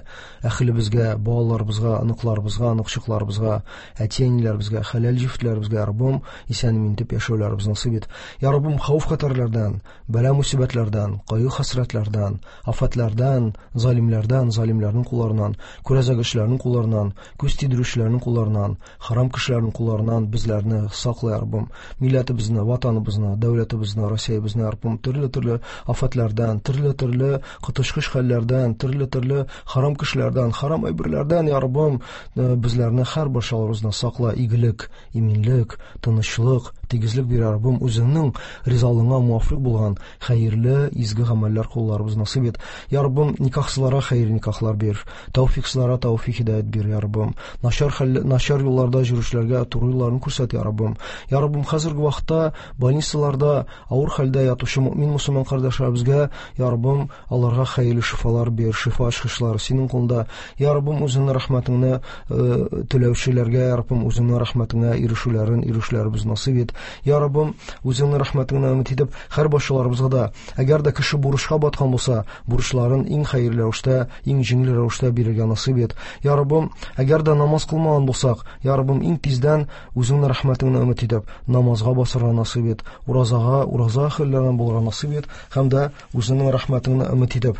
әһелебезгә, балаларыбызга, оныкларыбызга, оныкчыкларыбызга, әти-әниләребезгә, хәләл җефетләребезгә, я Раббым, исән-имин итеп яшәүләребезне насыйп ит. Я Раббым, хәвеф-хәтәрләрдән, бәла-мусибәтләрдән, кайгы-хәсрәтләрдән, афәтләрдән, залимләрдән, залимләрнең кулларыннан, күрәзәгечләрнең кулларыннан, күз тидерүчеләрнең кулларыннан, харам кешеләрнең кулларыннан безләрне сакла, я Раббым. Милләтебезне, ватаныбызны, дәүләтебезне, Россиябезне, я Раббым, төрле-төрле афәтләрдән, төрле-төрле коточкыч хәлләрдән, төрле-төрле харам кешеләрдән, харам әйберләрдән, я Раббым, безләрне һәр барчаларыбызны сакла, игелек, иминлек, тынычлык, тигезлек бир, я Раббым, үзеңнең ризалыгыңа муафыйк булган хәерле, изге гамәлләр кылуларыбыз насыйп ит. Я Раббым, никахсызларга хәерле никахлар бир, тәүфиксызларга тәүфик һидәят бир, я Раббым. Начар хәл, начар юлларда йөрүчеләргә туры юлларын күрсәт, я Раббым. Я Раббым, хәзерге вакытта больницаларда авыр хәлдә ятучы мөмин мусульман кардәшләребезгә, я Раббым, аларга хәерле шифалар бир, шифа ачкычлары синең кулда. Я Раббым, үзеңнең рәхмәтеңне теләүчеләргә, я Раббым, үзеңнең рәхмәтеңә ирешүләрен, ирешүләребез насыйп ит. Я Раббым, үзеңнең рәхмәтеңне өмет итеп, һәр башчыларыбызга да, әгәр дә кеше бурычка баткан булса, бурычларын иң хәерле рәвештә, иң җиңел рәвештә бирергә насыйп ит. Я Раббым, әгәр дә намаз кылмаган булсак, я Раббым, иң тиздән үзеңнең рәхмәтеңне өмет итеп, намазга басырга насыйп ит, уразага, ураза әһелләреннән булырга насыйп ит һәм дә үзеңнең рәхмәтеңне өмет итеп,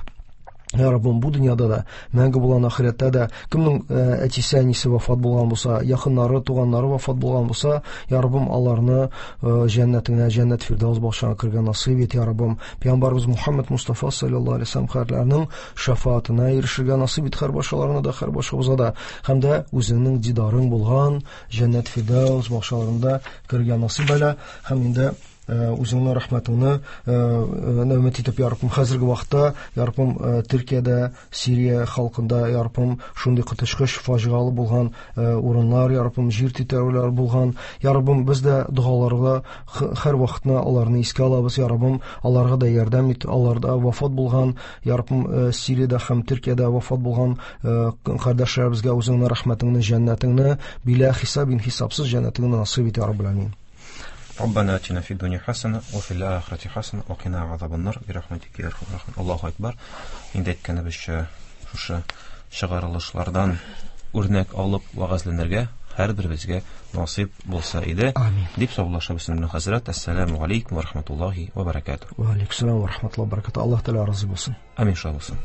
Я Раббым, бу дөньяда да, мәңге булган ахирәттә дә кемнең әтисе, әнисе вафат булган булса, якыннары, туганнары вафат булган булса, Я Раббым, аларны җәннәтеңә, җәннәт фирдәүс бакчаңа кергән насыйп ит, Я Раббым. Пәйгамбәребез Мухаммад Мустафа саллаллаһу алейһи вәсәлләм хәзрәтләренең шәфаатына ирешергә насыйп ит һәр башаларына да, һәр башыбызга да. Һәм дә үзеңнең дидарың булган җәннәт фирдәүс бакчаларында керергә насыйп әйлә. Һәм инде үзеңнең рәхмәтеңне өмет итеп, я Раббым, хәзерге вакытта, я Раббым, Төркиядә, Сирия халкында, я Раббым, шундый коточкыч фаҗигалы булган урыннар, я Раббым, җир тетрәүләр булган, я Раббым, без дә догаларга һәр вакытны аларны искә алабыз, я Раббым, аларга да ярдәм ит, аларда вафат булган, я Раббым, Сириядә һәм Төркиядә вафат булган кардәшләребезгә үзеңнең рәхмәтеңне, җәннәтеңне, билә хисабин хисапсыз җәннәтеңне насыйп ит, я Раббул Амин. ربنا آتنا في الدنيا حسنة وفي الآخرة حسنة وقنا عذاب النار برحمتك يا أرحم الراحمين. Аллаһу акбар. Инде әйткәнебезчә, шушы чыгарылышлардан үрнәк алып вәгазьләнергә һәрберебезгә насыйп булса иде. Амин. Дип саубуллашабыз сезнең белән, хәзрәт. Әссәламу алейкум ва рахматуллаһи ва баракатуһ. Ва алейкум ассалам ва рахматуллаһи ва баракатуһ. Аллаһ Тәгалә разый булсын. Амин, шулай булсын.